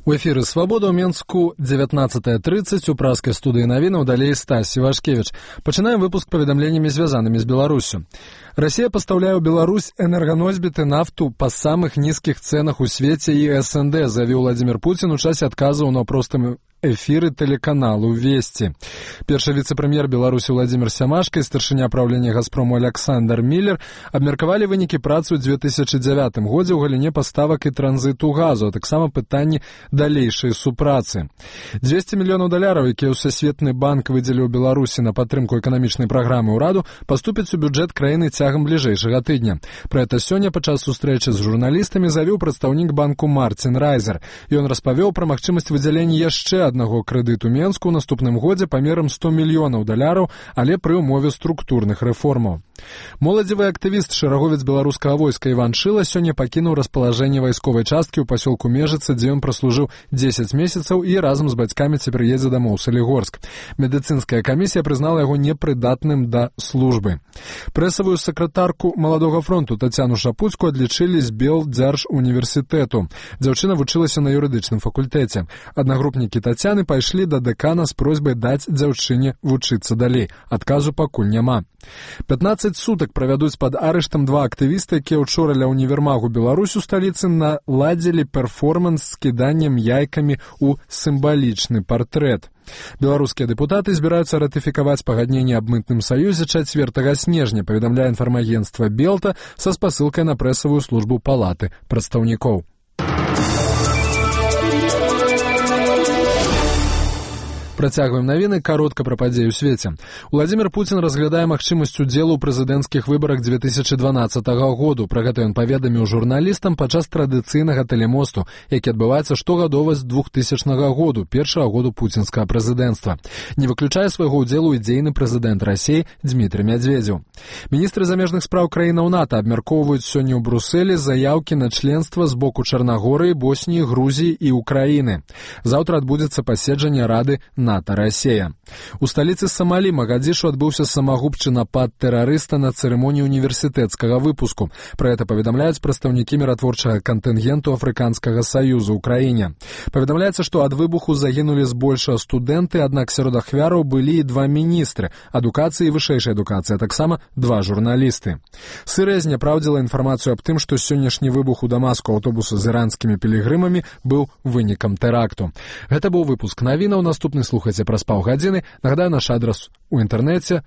У эфіры «Свабода» ў Менску 19:30 у праскай студыі навінаў далей Стась Івашкевіч. Пачынаем выпуск паведамленнямі, звязанымі з Беларусю. Расія пастаўляе ў Беларусь энерганосьбіты нафту па самых нізкіх цэнах у свеце і СНД, заявіў Владзімир Пуцін у часе адказаў на простым эфіры тэлеканалу «Вести». Першы віцэ-прэм'ер Беларусі Владзімир Сямашка і старшыня праўлення «Газпрому» Александр Миллер абмеркавалі вынікі працы ў 2009 годзе ў галіне паставак і транзіту газу, а таксама пытанні далейшай супрацы. $200 мільёнаў, якія Всесветны банк выдзеліў Беларусі на падтрымку эканамічнай праграмы ўраду, паступяць у бюджэт краіны цягам бліжэйшага тыдня. Пра гэта сёння падчас сустрэчы з журналістамі заявіў прадстаўнік банку Мартин Райзер. Ён распавёў пра магчымасць выдзялення яшчэ аднаго крэдыту Менску ў наступным годзе памерам $100 мільёнаў, але пры ўмове структурных рэформаў. Моладзевы актывіст, шэраговец беларускага войска Іван Шыла сёння пакінуў распалажэнне вайсковай часткі ў пасёлку Межыца, дзе ён праслужыў 10 месяцаў і разам з бацькамі цяпер едзе дамоў у Салігорск. Медыцынская камісія прызнала яго непрыдатным да службы. Прэсавую сакратарку Маладога фронту Тацяну Шапуцку адлічылі з Белдзяржуніверсітэту. Дзяўчына вучылася на юрыдычным факультэце. Аднагрупнікі Тацяны пайшлі да дэкана з просьбай даць дзяўчыне вучыцца далей. Адказу пакуль няма. 15 сутак правядуць пад арыштам два актывіста, якія ўчора ля універмагу Беларусь у сталіцы наладзілі перформанс з кіданнем яйкамі ў сімвалічны партрэт. Беларускія дэпутаты збіраюцца ратыфікаваць пагадненне аб мытным саюзе 4 снежня, паведамляе інфармагенцтва Белта са спасылкай на прэсавую службу палаты прадстаўнікоў. Працягваем навіны, каротка пра падзеі ў свеце. Владзімир Пуцін разглядае магчымасць удзелу ў прэзідэнцкіх выбарах 2012 году. Пра гэта ён паведаміў журналістам падчас традыцыйнага тэлемосту, які адбываецца штогадова з 2000 году, першага году пуцінскага прэзідэнцтва. Не выключае свайго ўдзелу і дзейны прэзідэнт Расіі Дмітрый Медведзеў. Міністры замежных спраў краінаў НАТО абмяркоўваюць сёння ў Брусэлі заяўкі на членства з боку Чарнагорыі, Босніі, Грузіі і Украіны. Заўтра адбудзецца паседжанне Рады НАТО-Расія. У сталіцы Самалі Магадзішу адбыўся самагубчы напад тэрарыста на цырымоніі універсітэцкага выпуску. Пра гэта паведамляюць прадстаўнікі міратворчага кантынгенту Афрыканскага саюза ў краіне. Паведамляецца, што ад выбуху загінулі збольшага студэнты, аднак сярод ахвяраў былі і два міністры адукацыі і вышэйшай адукацыі, а таксама два журналісты. Сырыя зняпраўдзіла інфармацыю аб тым, што сённяшні выбух у Дамаску аўтобуса з іранскімі пілігрымамі быў вынікам тэракту. Гэта быў выпуск навінаў, наступны слухайце праз паўгадзіны. Нагадаю, наш адрас у інтэрнэце